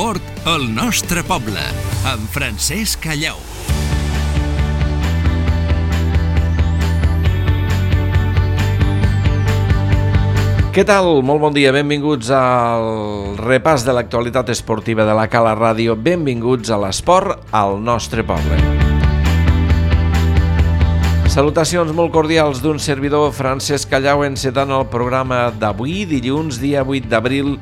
L'esport al nostre poble, amb Francesc Callau. Què tal? Molt bon dia, benvinguts al repàs de l'actualitat esportiva de la Cala Ràdio. Benvinguts a l'esport al nostre poble. Salutacions molt cordials d'un servidor, Francesc Callau, encetant el programa d'avui, dilluns, dia 8 d'abril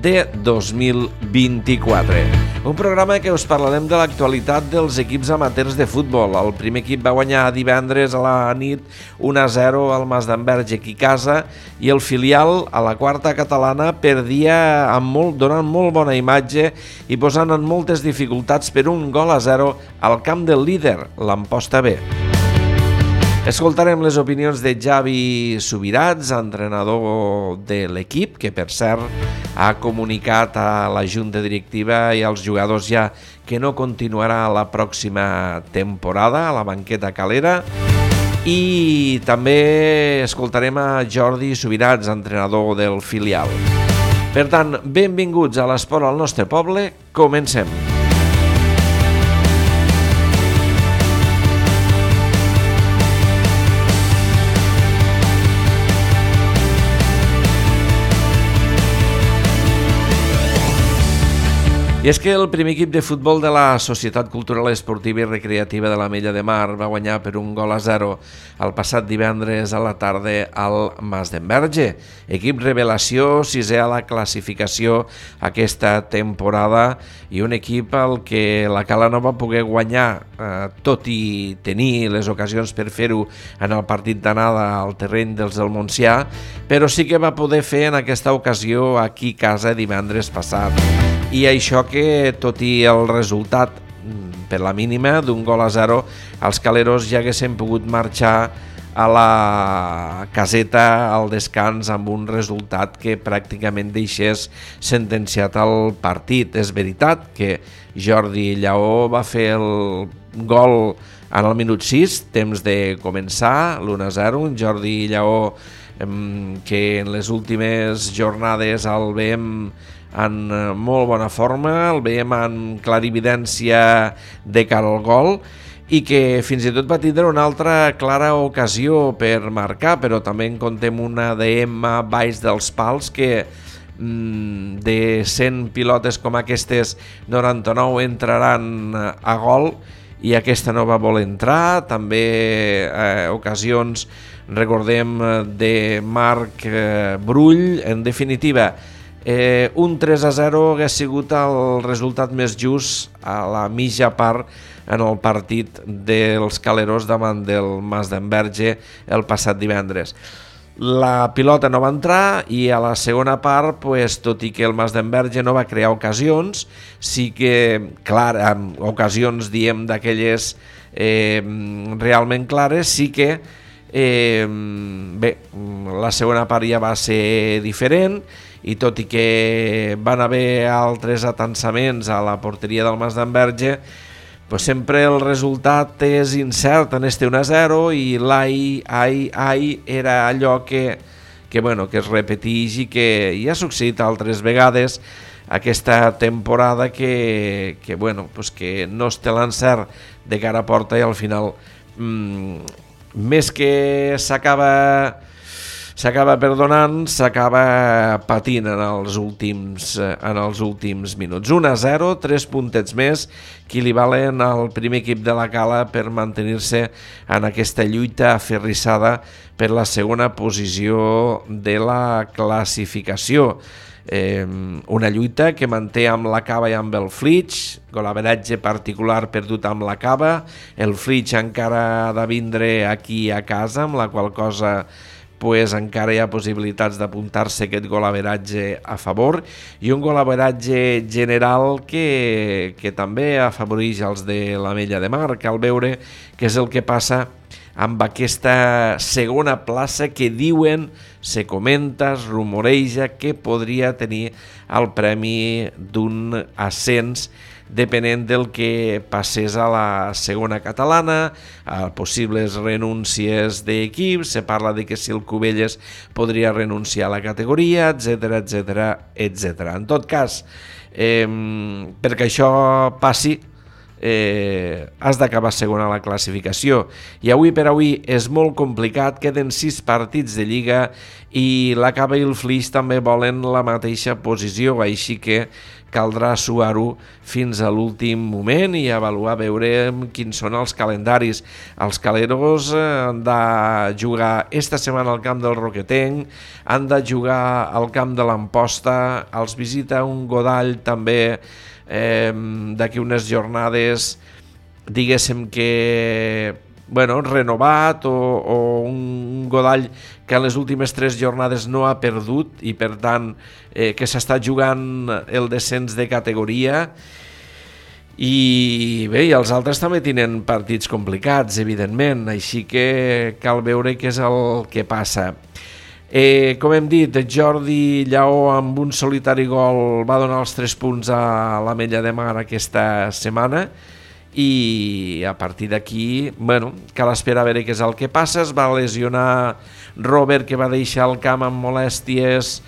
de 2024. Un programa que us parlarem de l'actualitat dels equips amateurs de futbol. El primer equip va guanyar divendres a la nit 1-0 al Masdenverge aquí a casa i el filial a la quarta catalana perdia donant molt bona imatge i posant en moltes dificultats per 1-0 al camp del líder, l'Amposta B. Escoltarem les opinions de Javi Subirats, entrenador de l'equip, que per cert ha comunicat a la junta directiva i als jugadors ja que no continuarà la pròxima temporada a la banqueta calera. I també escoltarem a Jordi Subirats, entrenador del filial. Per tant, benvinguts a l'esport al nostre poble, comencem. I és que el primer equip de futbol de la Societat Cultural Esportiva i Recreativa de l'Ametlla de Mar va guanyar per 1-0 el passat divendres a la tarda al Masdenverge. Equip revelació, sisè a la classificació aquesta temporada i un equip al que la Cala no va poder guanyar, tot i tenir les ocasions per fer-ho en el partit d'anada al terreny dels del Montsià, però sí que va poder fer en aquesta ocasió aquí a casa divendres passat. I això que, tot i el resultat per la mínima d'1-0, els caleros ja haguessin pogut marxar a la caseta al descans amb un resultat que pràcticament deixés sentenciat el partit. És veritat que Jordi Lleó va fer el gol en el minut 6, temps de començar, l'1-0, un Jordi Lleó que en les últimes jornades el veiem en molt bona forma, el veiem en clarividència de cara al gol i que fins i tot va tindre una altra clara ocasió per marcar, però també en contem una baix dels pals que de 100 pilotes com aquestes 99 entraran a gol i aquesta no va voler entrar. També ocasions, recordem, de Marc Brull. En definitiva, un 3-0 hagués sigut el resultat més just a la mitja part en el partit dels caleros davant del Masdenverge el passat divendres. La pilota no va entrar i a la segona part, tot i que el Masdenverge no va crear ocasions, sí que, clar, ocasions, diem, d'aquelles realment clares, sí que la segona part ja va ser diferent i tot i que van haver altres atansaments a la porteria del Masdenverge, sempre el resultat és incert en este 1-0 i l'ai era allò que es repeteix i que ja ha succeït altres vegades aquesta temporada que no es té l'encert de cara a porta i al final més que s'acaba perdonant, s'acaba patint en els últims minuts. 1-0, 3 puntets més, que li valen al primer equip de la Cala per mantenir-se en aquesta lluita aferrissada per la segona posició de la classificació. Una lluita que manté amb la Cava i amb el Flix, golaveratge particular perdut amb la Cava, el Flix encara ha de vindre aquí a casa, amb la qual cosa encara hi ha possibilitats d'apuntar-se aquest golaveratge a favor i un golaveratge general que també afavoreix els de l'Ametlla de Mar, cal veure què és el que passa amb aquesta segona plaça que diuen, se comenta, es rumoreja que podria tenir el premi d'un ascens depenent del que passés a la segona catalana, a possibles renúncies d'equips, se parla de que si el Cubelles podria renunciar a la categoria, etc etc etc. En tot cas, perquè això passi, has d'acabar segon a la classificació i avui per avui és molt complicat, queden 6 partits de Lliga i la Cava i el Flix també volen la mateixa posició, així que caldrà suar-ho fins a l'últim moment i avaluar, veure quins són els calendaris. Els caleros han de jugar esta setmana al camp del Roquetenc, han de jugar al camp de l'Amposta, els visita un Godall també d'aquí unes jornades, diguéssim que renovat, o un Godall que en les últimes 3 jornades no ha perdut i per tant que s'està jugant el descens de categoria. I bé, i els altres també tenen partits complicats, evidentment, així que cal veure què és el que passa. Com hem dit, Jordi Lleó amb un solitari gol va donar els 3 punts a l'Ametlla de Mar aquesta setmana i a partir d'aquí, cal esperar a veure què és el que passa. Es va lesionar Robert, que va deixar el camp amb molèsties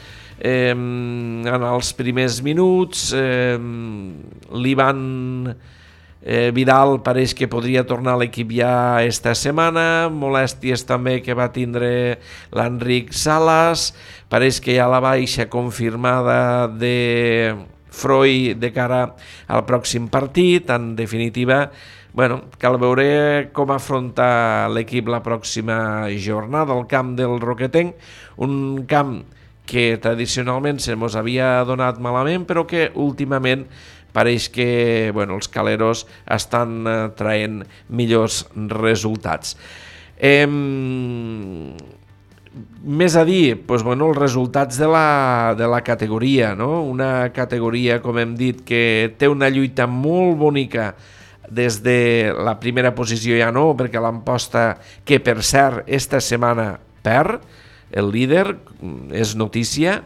en els primers minuts. L'Ivan Vidal pareix que podria tornar a l'equip ja esta setmana, molèsties també que va tindre l'Enric Salas, pareix que hi ha la baixa confirmada de Freud de cara al pròxim partit. En definitiva, cal veure com afronta l'equip la pròxima jornada al camp del Roquetenc, un camp que tradicionalment se mos havia donat malament, però que últimament pareix que els caleros estan traient millors resultats. Més a dir, els resultats de la categoria, no? Una categoria, com hem dit, que té una lluita molt bonica des de la primera posició, ja no, perquè l'Amposta, que per cert esta setmana perd, el líder, és notícia,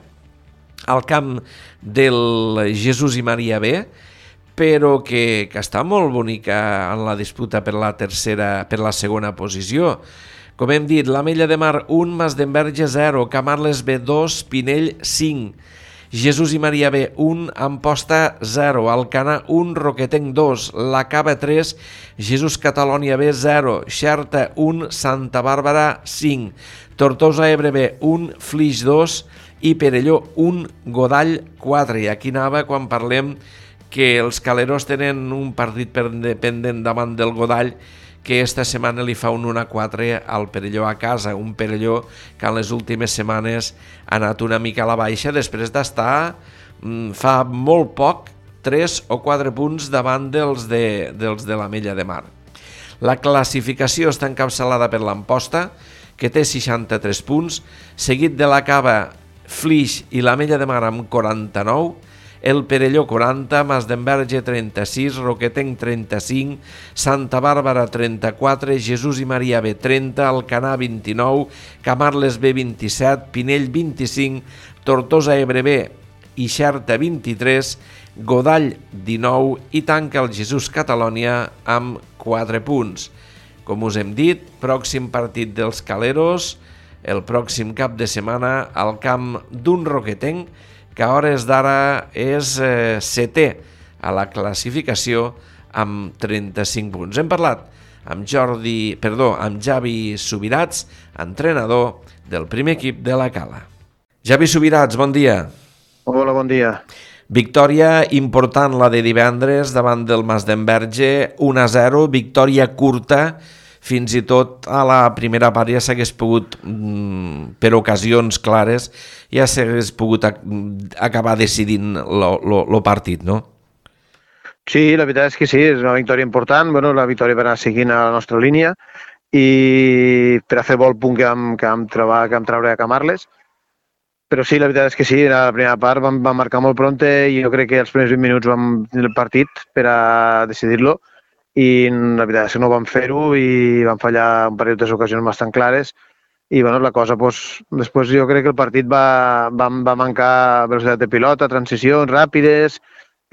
al camp del Jesús i Maria B, però que està molt bonica en la disputa per la segona posició. Com hem dit, l'Ametlla de Mar 1, Masdenverge 0, Camarles B 2, Pinell 5, Jesús i Maria B 1, Amposta 0, Alcanar 1, Roquetenc 2, La Cava 3, Jesús Catalònia B 0, Xerta 1, Santa Bàrbara 5, Tortosa Ebre B 1, Flix 2 i Perelló 1, Godall 4. I aquí anava quan parlem que els caleros tenen un partit pendent davant del Godall, que esta setmana li fa un 1-4 al Perelló a casa, un Perelló que en les últimes setmanes ha anat una mica a la baixa després d'estar fa molt poc 3 o 4 punts davant dels de l'Ametlla de Mar. La classificació està encapçalada per l'Amposta, que té 63 punts, seguit de la Cava, Flix i l'Ametlla de Mar amb 49, el Perelló 40, Masdenverge 36, Roquetenc 35, Santa Bàrbara 34, Jesús i Maria B 30, Alcanar 29, Camarles B 27, Pinell 25, Tortosa Ebre B i Xerta 23, Godall 19 i tanca el Jesús Catalònia amb 4 punts. Com us hem dit, pròxim partit dels caleros, el pròxim cap de setmana al camp d'un Roquetenc, que a hores d'ara és setè a la classificació amb 35 punts. Hem parlat amb Javi Subirats, entrenador del primer equip de la Cala. Javi Subirats, bon dia. Hola, bon dia. Victòria important la de divendres davant del Masdenverge, 1-0, victòria curta, fins i tot a la primera part ja s'hagués pogut, per ocasions clares, ja s'hagués pogut acabar decidint el partit, no? Sí, la veritat és que sí, és una victòria important, la victòria per anar seguint a la nostra línia i per a fer bo el punt que vam treure a Camarles. Però sí, la veritat és que sí, a la primera part vam marcar molt prompte i jo crec que els primers 20 minuts vam tenir el partit per a decidir-lo i la veritat és que no vam fer-ho i vam fallar un parell d'ocasions bastant clares i la cosa, després jo crec que el partit va mancar velocitat de pilota, transicions ràpides,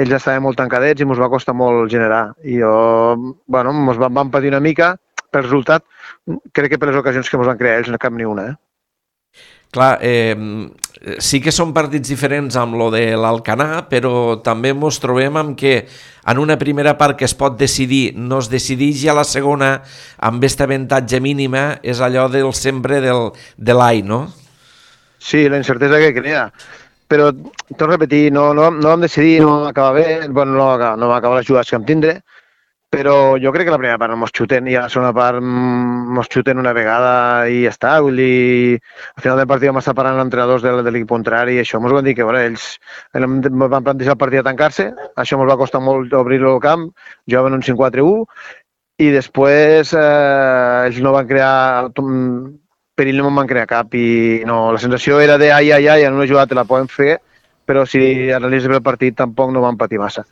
ells estaven molt tancadets i ens va costar molt generar. I bueno, ens vam patir una mica pel resultat. Crec que per les ocasions que ens van crear ells no cap ni una. Clar, sí que són partits diferents amb lo de l'Alcanar, però també ens trobem amb que en una primera part que es pot decidir no es decideix i a la segona amb aquest avantatge mínima és allò del sempre de l'any, no? Sí, la incertesa que crea. Però, torno a repetir, no vam decidir, no vam acabar bé, bueno, no vam acabar les jugades que vam tindre, però jo crec que la primera part no mos xuten i a la segona part mos xuten una vegada i ja està. Vull dir, al final del partit vam estar parlant amb entrenadors de l'equip contrari i això mos van dir que ells van plantejar el partit a tancar-se, això mos va costar molt obrir-lo al camp, jugaven un 5-4-1 i després ells no van crear, perill no en van crear cap i no, la sensació era de ai, en una jugada te la podem fer, però si analitzes el partit tampoc no van patir massa.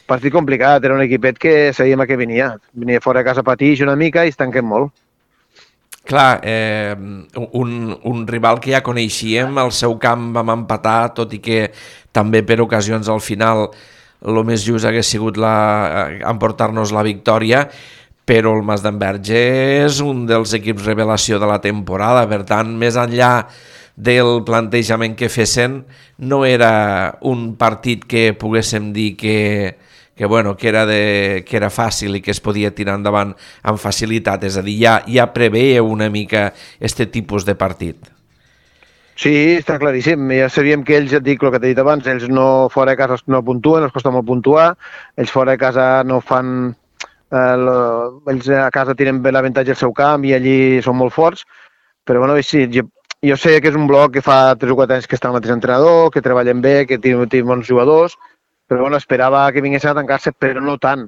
Partit complicat, era un equipet que sabíem a què venia. Venia fora de casa a patir una mica i es tanquen molt. Clar, un rival que ja coneixíem, al seu camp vam empatar, tot i que també per ocasions al final el més just hagués sigut emportar-nos la victòria, però el Masdenverge és un dels equips revelació de la temporada, per tant, més enllà del plantejament que fessin, no era un partit que poguéssim dir que era fàcil i que es podia tirar endavant amb facilitat, és a dir, ja preveia una mica aquest tipus de partit. Sí, està claríssim. Ja sabíem que ells, ja et dic el que t'he dit abans, ells no fora de casa no puntuen, els costa molt puntuar, ells fora de casa no fan... ells a casa tiren bé l'avantatge al seu camp i allí són molt forts, però bueno, sí, jo sé que és un bloc que fa 3 o 4 anys que està el mateix entrenador, que treballen bé, que tenen bons jugadors, però bueno, esperava que vinguessin a tancar-se, però no tant.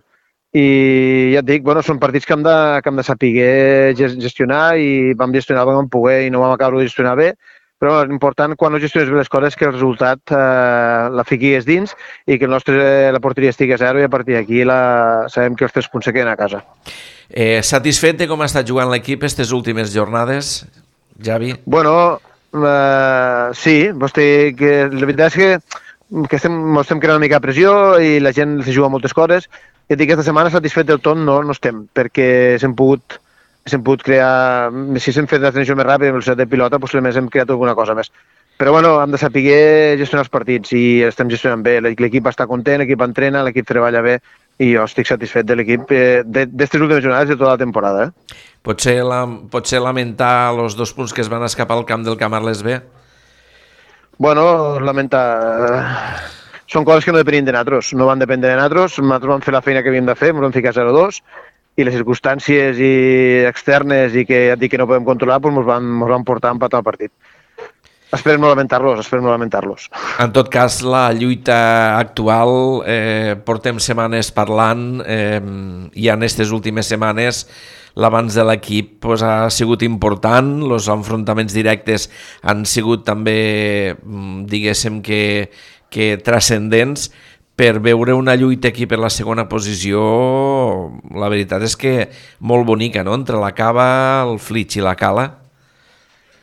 I ja et dic, bueno, són partits que hem de saber gestionar i vam gestionar com vam poder i no vam acabar de gestionar bé, però l'important quan no gestiones bé les coses és que el resultat la fiquis dins i que la porteria estigui a 0 i a partir d'aquí sabem que els 3 punts se queden a casa. Satisfet de com ha estat jugant l'equip aquestes últimes jornades, Javi? Bueno, sí, la veritat és que estem creant una mica de pressió i la gent se juga moltes coses. I aquesta setmana satisfet del tot no estem, perquè s'hem pogut crear, si s'hem fet la transició més ràpida, amb velocitat de pilota, potser hem creat alguna cosa més. Però bueno, hem de saber gestionar els partits i estem gestionant bé. L'equip està content, l'equip entrena, l'equip treballa bé i jo estic satisfet de l'equip d'aquestes últimes jornades de tota la temporada. Potser lamentar els 2 punts que es van escapar al camp del Camarles B? Bueno, són coses que no depenien de nosaltres, no van dependre de nosaltres vam fer la feina que havíem de fer, ens vam ficar 0-2 i les circumstàncies externes i que no podem controlar ens van portar a empatar el partit. Esperem no lamentar-los. En tot cas, la lluita actual, portem setmanes parlant i en aquestes últimes setmanes l'avanç de l'equip ha sigut important, els enfrontaments directes han sigut també, diguéssim que transcendents, per veure una lluita aquí per la segona posició, la veritat és que molt bonica, no?, entre la Cava, el Flix i la Cala.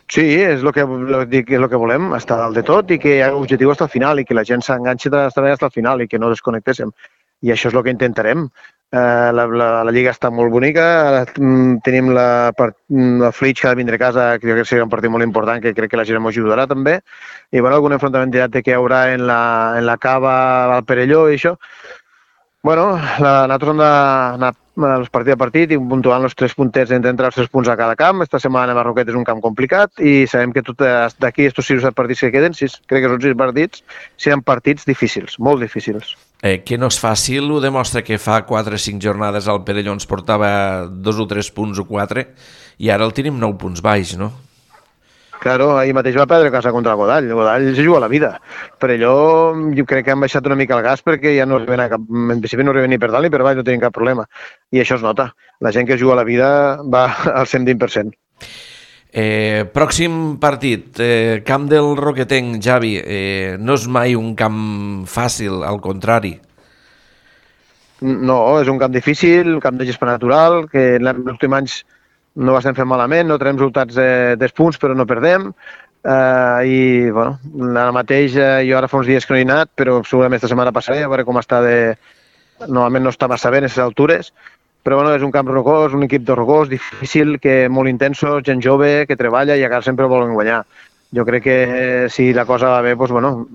Sí, és el que volem, estar dalt de tot i que l'objectiu està al final i que la gent s'enganxi fins al final i que no desconnectéssim. I això és el que intentarem. La Lliga està molt bonica, tenim la Flix que ha de vindre a casa, que crec que serà un partit molt important, que crec que la gent ens ajudarà també, i bueno, algun enfrontament directe que hi haurà en la Cava, al Perelló i això. Bueno, nosaltres hem d'anar partit a partit i puntuant els 3 puntets, entrar els 3 punts a cada camp. Esta setmana a Marroquet és un camp complicat i sabem que d'aquí estos 6 o 7 partits que queden, crec que són 6 partits, seran partits difícils, molt difícils. Que no és fàcil, ho demostra que fa 4 o 5 jornades al Perelló ens portava 2 o 3 punts o 4 i ara el tenim 9 punts baix, no? Claro, ahir mateix va perdre casa contra el Godall. El Godall se juga la vida. Perelló jo crec que han baixat una mica el gas perquè ja no arriben en principi no arriben ni per dalt ni per baix, no tenen cap problema. I això es nota. La gent que juga la vida va al 120%. Pròxim partit, camp del Roquetenc, Javi, no és mai un camp fàcil, al contrari. No, és un camp difícil, un camp de gespa natural, que en els últims anys no ho estem fent malament, no tenim resultats de punts però no perdem. I bueno, ara mateix jo ara fa uns dies que no he anat, però segurament esta setmana passaré a veure com està normalment no està massa bé en aquestes altures, però bueno, és un camp rocós, un equip de rocós, difícil, que molt intenso, gent jove, que treballa i a casa sempre volen guanyar. Jo crec que si la cosa va bé, doncs, bueno,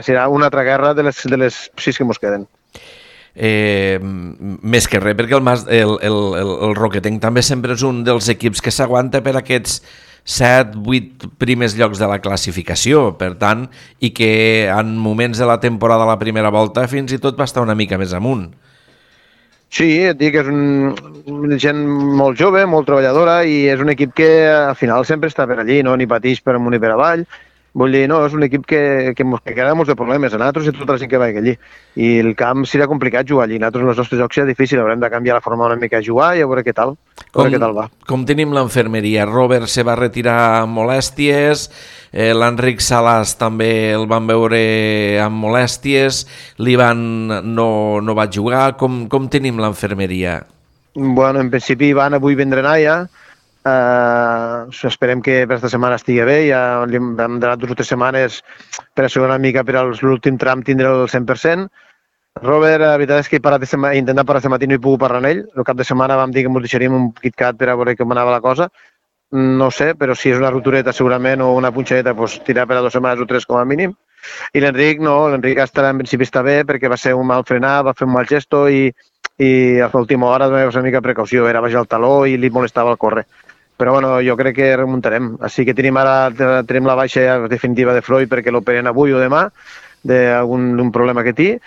serà una altra guerra de les 6 que ens queden. Més que res, perquè el Roquetenc també sempre és un dels equips que s'aguanta per aquests 7-8 primers llocs de la classificació, per tant, i que en moments de la temporada a la primera volta fins i tot va estar una mica més amunt. Sí, et dic, és una gent molt jove, molt treballadora i és un equip que al final sempre està per allí, no? Ni pateix per amunt ni per avall. Vull dir, no, és un equip que queda molts de problemes a nosaltres i tota la gent que va allí. I el camp serà complicat jugar allí. Nosaltres, els nostres jocs serà difícil, haurem de canviar la forma una mica de jugar i a veure què tal. Va. Com tenim l'enfermeria? Robert se va retirar amb molèsties, l'Enric Salas també el van veure amb molèsties, l'Ivan no va jugar. Com tenim l'enfermeria? Bueno, en principi Ivan avui vindrà a ja. Esperem que per aquesta setmana estigui bé, ja hem donat 2 o 3 setmanes per assegurar una mica per l'últim tram tindre el 100%. Robert, la veritat és que he intentat parar aquest matí, no he pogut parlar amb ell. El cap de setmana vam dir que ens deixaríem un KitKat per a veure com anava la cosa. No sé, però si és una rotureta segurament o una punxadeta, doncs tirar per a 2 setmanes o 3 com a mínim. I l'Enric no, l'Enric en principi està bé perquè va ser un mal frenar, va fer un mal gesto i a l'última hora va ser una mica precaució, era baix el taló i li molestava el córrer. Però bueno, jo crec que remuntarem. Així que tenim la baixa definitiva de Freud perquè l'operen avui o demà d'un problema que té,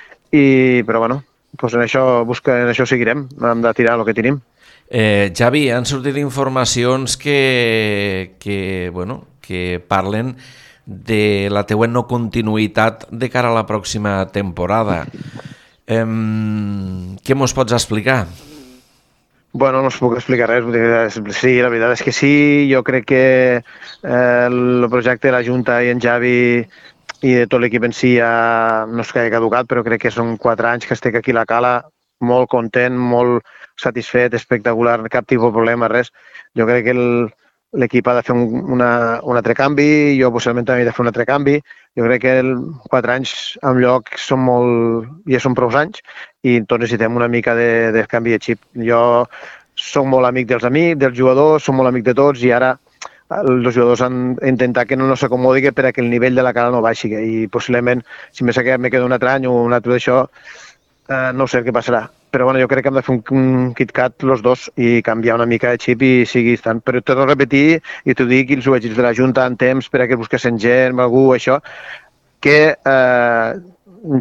però bueno, doncs en això seguirem, hem de tirar el que tenim. Javi, han sortit informacions que parlen de la teua no continuïtat de cara a la pròxima temporada. Què mos pots explicar? Bueno, no us puc explicar res. Sí, la veritat és que sí. Jo crec que el projecte de la Junta i en Javi i de tot l'equip en si ja no és que hagi caducat, però crec que són 4 anys que estic aquí a la Cala, molt content, molt satisfet, espectacular, cap tipus de problema, res. Jo crec que l'equip ha de fer un altre canvi, jo possiblement també he de fer un altre canvi. Jo crec que 4 anys en lloc ja són prou anys i tots necessitem una mica de canvi de xip. Jo soc molt amic dels jugadors, soc molt amic de tots i ara els jugadors han d'intentar que no s'acomodi perquè el nivell de la Cala no baixi i possiblement si me queda un altre any o un altre d'això no sé què passarà. Però bueno, jo crec que hem de fer un KitKat els dos i canviar una mica de xip i sigui tant. Però tot a repetir, i t'ho dic, i els ho vaig dir de la Junta en temps per a que busquessin gent, algú, això, que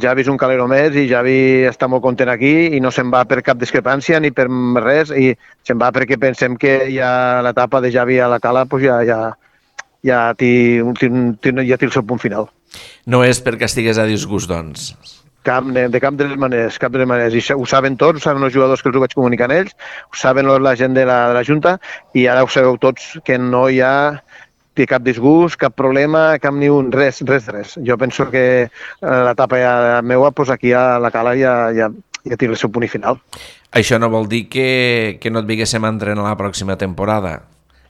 Javi és un calero més i Javi està molt content aquí i no se'n va per cap discrepància ni per res i se'n va perquè pensem que ja l'etapa de Javi a la Cala pues ja té el seu punt final. No és perquè estigués a disgust, doncs? De cap de les maneres. I ho saben tots, ho saben els jugadors que els ho vaig comunicar a ells, ho saben la gent de la Junta i ara ho sabeu tots que no hi ha cap disgust, cap problema, cap ni un, res. Jo penso que l'etapa meua, doncs aquí a la Cala ja té el seu punt final. Això no vol dir que no et vinguéssim a entrenar la pròxima temporada?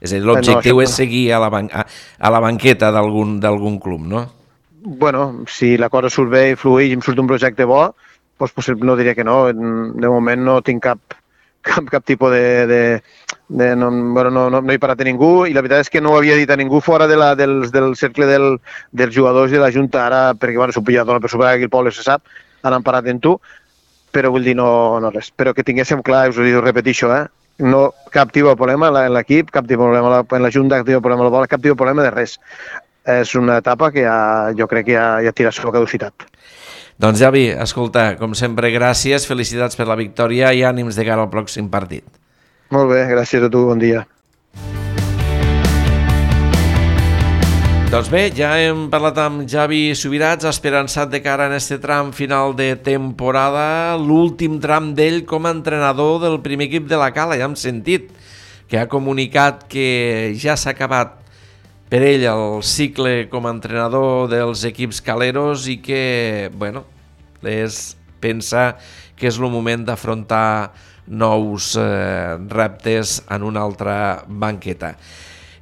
És a dir, l'objectiu és seguir a la banqueta d'algun club, no? Bueno, si la cosa surt bé i flueix i em surt un projecte bo, doncs possiblement no diria que no. De moment no tinc cap tipus no he parat a ningú i la veritat és que no ho havia dit a ningú fora del cercle dels jugadors i de la Junta ara, perquè bueno, s'ho pillat per superar aquí el poble se sap, ara han parat en tu, però vull dir no res. Però que tinguéssim clar, us ho repeteixo, no cap tipus de problema en l'equip, cap tipus de problema en la Junta, cap tipus de problema a la bola, cap tipus de problema de res. És una etapa que jo crec que ja tira la seva caducitat. Doncs Javi, escolta, com sempre, gràcies, felicitats per la victòria i ànims de cara al pròxim partit. Molt bé, gràcies a tu, bon dia. Doncs bé, ja hem parlat amb Javi Subirats, esperançat de cara en este tram final de temporada, l'últim tram d'ell com a entrenador del primer equip de la Cala, ja hem sentit que ha comunicat que ja s'ha acabat per ell el cicle com a entrenador dels equips caleros i que, bueno, pensa que és el moment d'afrontar nous reptes en una altra banqueta.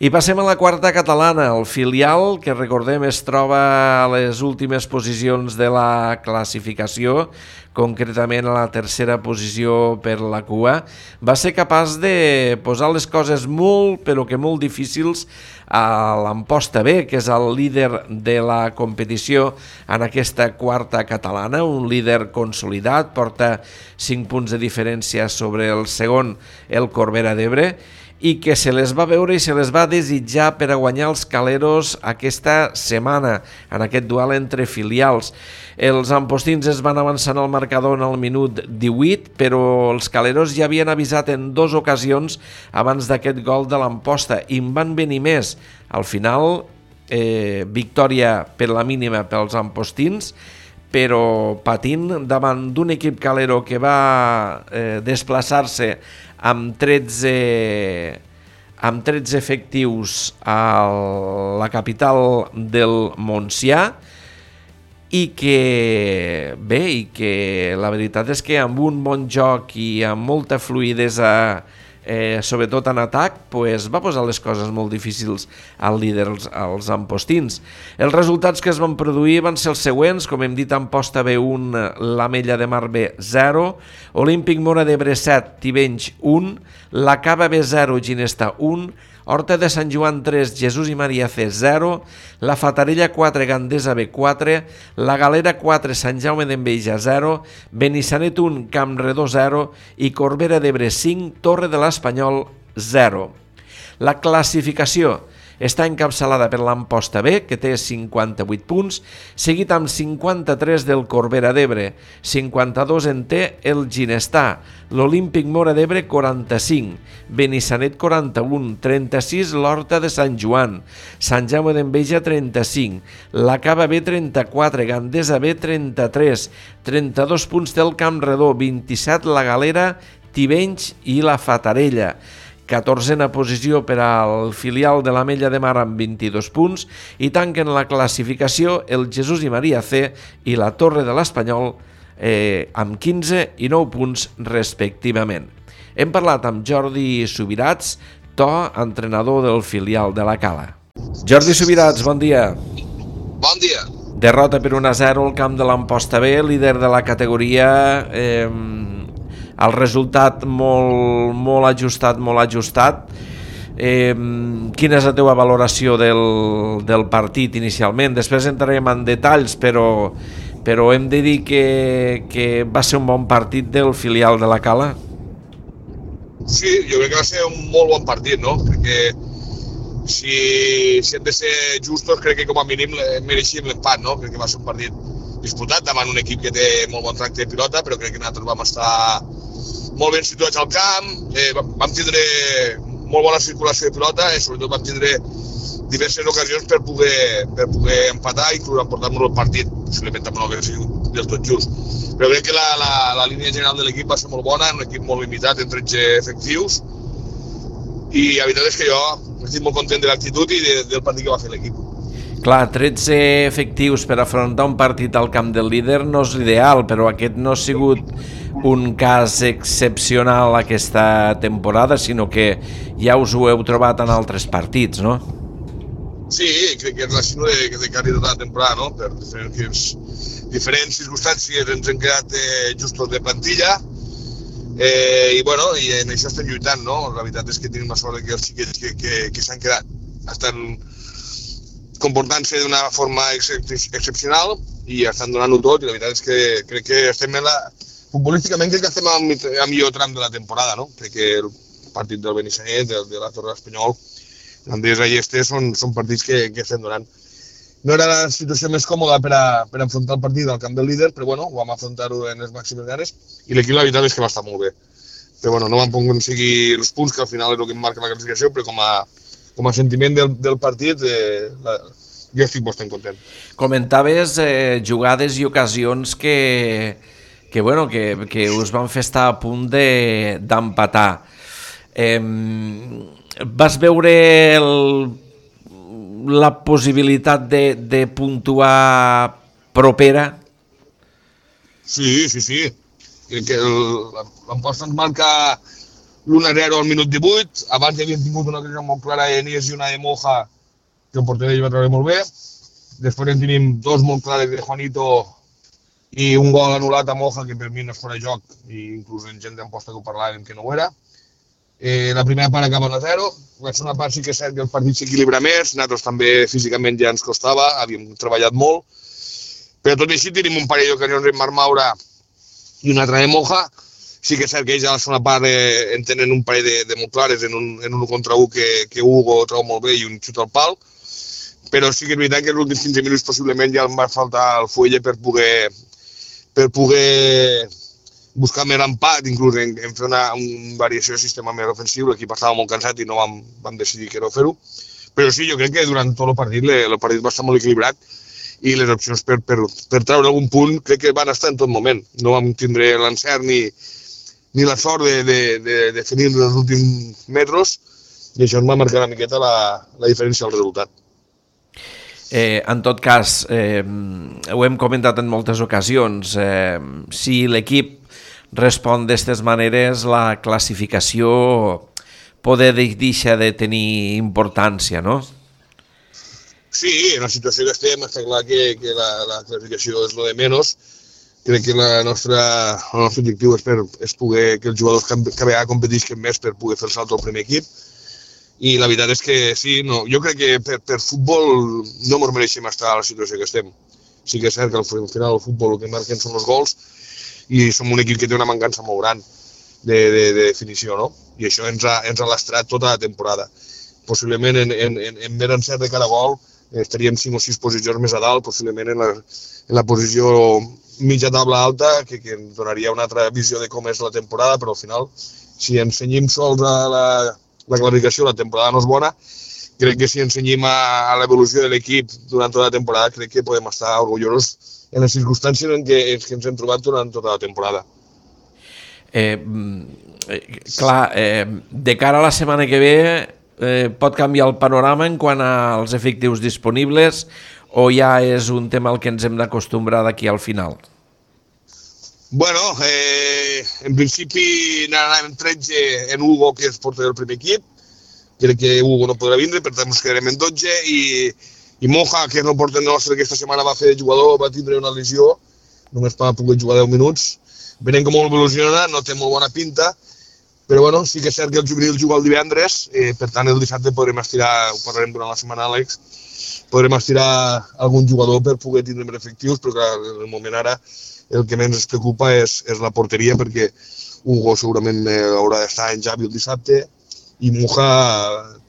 I passem a la quarta catalana, el filial, que recordem es troba a les últimes posicions de la classificació, concretament a la tercera posició per la cua, va ser capaç de posar les coses molt, però que molt difícils a l'Amposta B, que és el líder de la competició en aquesta quarta catalana, un líder consolidat, porta 5 punts de diferència sobre el segon, el Corbera d'Ebre, i que se les va veure i se les va desitjar per a guanyar els Caleros aquesta setmana, en aquest duel entre filials. Els ampostins es van avançar al marcador en el minut 18, però els Caleros ja havien avisat en 2 ocasions abans d'aquest gol de l'Amposta i en van venir més. Al final, victòria per la mínima pels ampostins, però patint davant d'un equip calero que va desplaçar-se amb 13 efectius a la capital del Montsià i que la veritat és que amb un bon joc i amb molta fluïdesa, sobretot en atac, va posar les coses molt difícils al líder, als ampostins. Els resultats que es van produir van ser els següents, com hem dit, Amposta B 1, l'Amella de Mar B 0, Olímpic Móra d'Ebre 7, Tivenys 1, la Cava B 0, Ginesta 1, Horta de Sant Joan 3, Jesús i Maria C 0, la Fatarella 4, Gandesa B 4, la Galera 4, Sant Jaume d'Enveja 0, Benissanet 1, Campredó 0 i Corbera d'Ebre 5, Torre de l'Espanyol 0. La classificació està encapçalada per l'Amposta B, que té 58 punts, seguit amb 53 del Corbera d'Ebre, 52 en té el Ginestà, l'Olímpic Móra d'Ebre 45, Benissanet 41, 36 l'Horta de Sant Joan, Sant Jaume d'Enveja 35, la Cava B 34, Gandesa B 33, 32 punts té el Campredó, 27 la Galera, Tivenys i la Fatarella. 14a posició per al filial de l'Amella de Mar amb 22 punts i tanquen la classificació el Jesús i Maria C i la Torre de l'Espanyol amb 15 i 9 punts respectivament. Hem parlat amb Jordi Subirats, entrenador del filial de la Cala. Jordi Subirats, bon dia. Bon dia. Derrota per 1-0 al camp de l'Amposta B, líder de la categoria. El resultat molt ajustat. Quina és la teva valoració del partit inicialment? Després entrarem en detalls, però hem de dir que va ser un bon partit del filial de la Cala? Sí, jo crec que va ser un molt bon partit, no? Crec que si hem de ser justos, crec que com a mínim mereixíem l'empat, no? Crec que va ser un partit disputat davant un equip que té molt bon tracte de pilota, però crec que nosaltres vam estar molt ben situats al camp, vam tindre molt bona circulació de pilota i sobretot vam tindre diverses ocasions per poder empatar i inclús emportar-nos el partit, possiblement també no hauria sigut del tot just. Però crec que la línia general de l'equip va ser molt bona, un equip molt limitat en 13 efectius i la veritat és que jo estic molt content de l'actitud i del partit que va fer l'equip. Clar, 13 efectius per afrontar un partit al camp del líder no és l'ideal, però aquest no ha sigut un cas excepcional aquesta temporada, sinó que ja us ho heu trobat en altres partits, no? Sí, crec que és la sinó de quasi tota la temporada, no? Per diferents circumstàncies ens hem quedat justos de plantilla i en això estem lluitant, no? La veritat és que tenim la sort que els xiquets que s'han quedat estan comportant-se d'una forma excepcional i estan donant-ho tot i la veritat és que crec que estem futbolísticament crec que estem al millor tram de la temporada, no? Crec que el partit del Benissanet, de la Torre de l'Espanyol, l'Andesa i són partits que estem donant. No era la situació més còmoda per enfrontar el partit al camp del líder, però ho vam afrontar-ho en les màximes ganes i l'equip la veritat és que va estar molt bé. Però no vam poder aconseguir els punts, que al final és el que em marca la classificació, però com a sentiment del partit, jo estic bastant content. Comentaves jugades i ocasions que us van fer estar a punt d'empatar. Vas veure la possibilitat de puntuar propera? Sí. Crec que l'Amposta ens marca l'1-0 al minut 18, abans hi havien tingut una ocasió molt clara de Nies i una de Moja, que el porter va treure molt bé. Després en tenim dos molt clares de Juanito i un gol anul·lat a Moja, que per mi no és fora de joc, i inclús en gent d'amposta que ho parlàvem que no ho era. La primera part acaba 1-0, la segona part sí que és cert que el partit s'equilibra més, nosaltres també físicament ja ens costava, havíem treballat molt, però tot i així tenim un parell d'ocasions en Marc Maura i una altra de Moja. Sí que és cert que ells a la segona part en tenen un parell de molt clares en un 1 contra 1 que Hugo treu molt bé i un xut al pal, però sí que és veritat que els últims 15 minuts possiblement ja em va faltar el Fuelle per poder buscar més empat, inclús en fer una variació de sistema més ofensiu. L'equip estava molt cansat i no vam decidir que no fer-ho. Però sí, jo crec que durant tot el partit va estar molt equilibrat i les opcions per treure algun punt crec que van estar en tot moment. No vam tindre l'encert ni la sort de definir els últims metres i això ens va marcar una miqueta la diferència del resultat. En tot cas, ho hem comentat en moltes ocasions, si l'equip respon d'aquestes maneres, la classificació poder deixar de tenir importància, no? Sí, en la situació que estem està clar que la classificació és lo de menys. Crec que el nostre objectiu és poder que els jugadors que vegada competisquen més per poder fer el salt al primer equip. I la veritat és que sí, jo crec que per futbol no ens mereixem estar a la situació que estem. Sí que és cert que al final el futbol el que marquen són els gols i som un equip que té una mancança molt gran de definició, no? I això ens ha lastrat tota la temporada. Possiblement en més encert de cada gol estaríem 5 o 6 posicions més a dalt, possiblement en la posició mitja taula alta, que ens donaria una altra visió de com és la temporada, però al final, si ens cenyim sols a la classificació, la temporada no és bona. Crec que si ensenyim a l'evolució de l'equip durant tota la temporada, crec que podem estar orgullosos en les circumstàncies en què ens hem trobat durant tota la temporada. De cara a la setmana que ve, pot canviar el panorama en quant als efectius disponibles o ja és un tema al que ens hem d'acostumbrar d'aquí al final? Bueno, en principi anàvem 13 en Hugo, que és porter del primer equip. Crec que Hugo no podrà vindre, per tant ens quedarem en 12 i Moja, que és el porter nostre, que aquesta setmana va fer de jugador, va tindre una lesió, només va poder jugar 10 minuts. Veiem com evoluciona, no té molt bona pinta, però bueno, sí que és cert que el juvenil juga el divendres, per tant el dissabte podrem estirar, ho parlarem durant la setmana, Àlex, podrem estirar algun jugador per poder tindre més efectius, però clar, en el moment ara el que més ens preocupa és la porteria, perquè Hugo segurament haurà d'estar en Javi el dissabte i Moja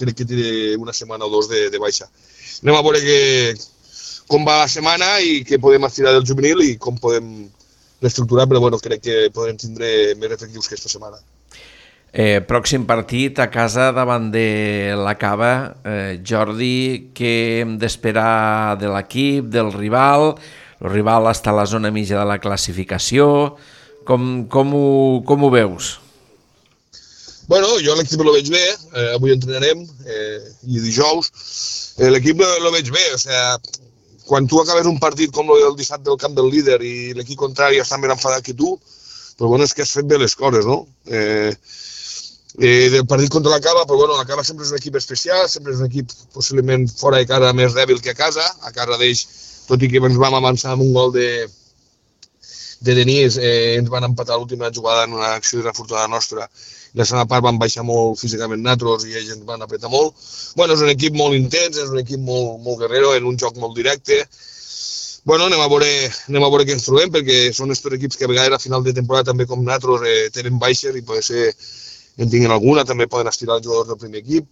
crec que té una setmana o dos de baixa. Anem a veure com va la setmana i què podem estirar del juvenil i com podem reestructurar, però bueno, crec que podrem tindre més efectius que aquesta setmana. Pròxim partit a casa davant de la Cava. Jordi, què hem d'esperar de l'equip, del rival? El rival està a la zona mitja de la classificació. Com ho veus? Bueno, jo l'equip el veig bé, avui entrenarem i dijous. L'equip el veig bé, o sigui, quan tu acabes un partit com el dissabte del camp del líder i l'equip contrari està més enfadat que tu, però bueno, és que has fet bé les coses, no? Del partit contra la Cava, però bueno, la Cava sempre és un equip especial, sempre és un equip possiblement fora de casa més dèbil que a casa d'ells, tot i que ens vam avançar amb un gol de Denis, ens van empatar l'última jugada en una acció desafortunada nostra. La segona part van baixar molt físicament nosaltres i ells ens van apretar molt. Bueno, és un equip molt intens, és un equip molt guerrero, en un joc molt directe. Bueno, anem a veure què ens trobem, perquè són aquests equips que a vegades a final de temporada també com nosaltres tenen baixes i pot ser en tinguin alguna, també poden estirar els jugadors del primer equip.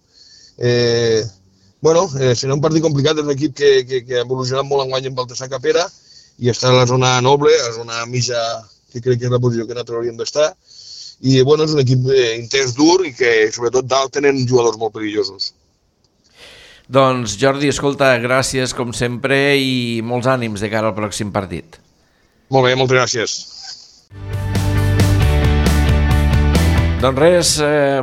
Bueno, serà un partit complicat, és un equip que ha evolucionat molt enguany en Baltasar Capera i està a la zona noble, a la zona mitja, que crec que és la posició que nosaltres hauríem d'estar. I bueno, és un equip intens, dur i que sobretot dalt tenen jugadors molt perillosos. Doncs Jordi, escolta, gràcies com sempre i molts ànims de cara al pròxim partit. Molt bé, moltes gràcies. Doncs res,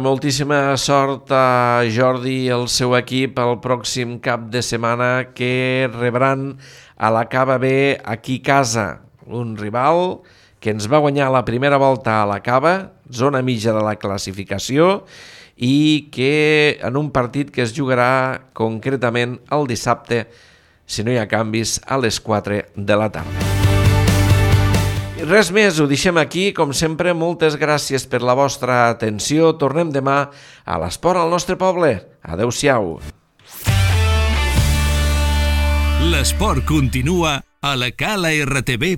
moltíssima sort a Jordi i el seu equip el pròxim cap de setmana que rebran a la Cava B aquí a casa, un rival que ens va guanyar la primera volta a la Cava, zona mitja de la classificació, i que en un partit que es jugarà concretament el dissabte, si no hi ha canvis, a les 4 de la tarda. I res més, ho deixem aquí. Com sempre, moltes gràcies per la vostra atenció. Tornem demà a l'Esport al nostre poble. Adéu-siau. L'esport continua a la calartv.cat.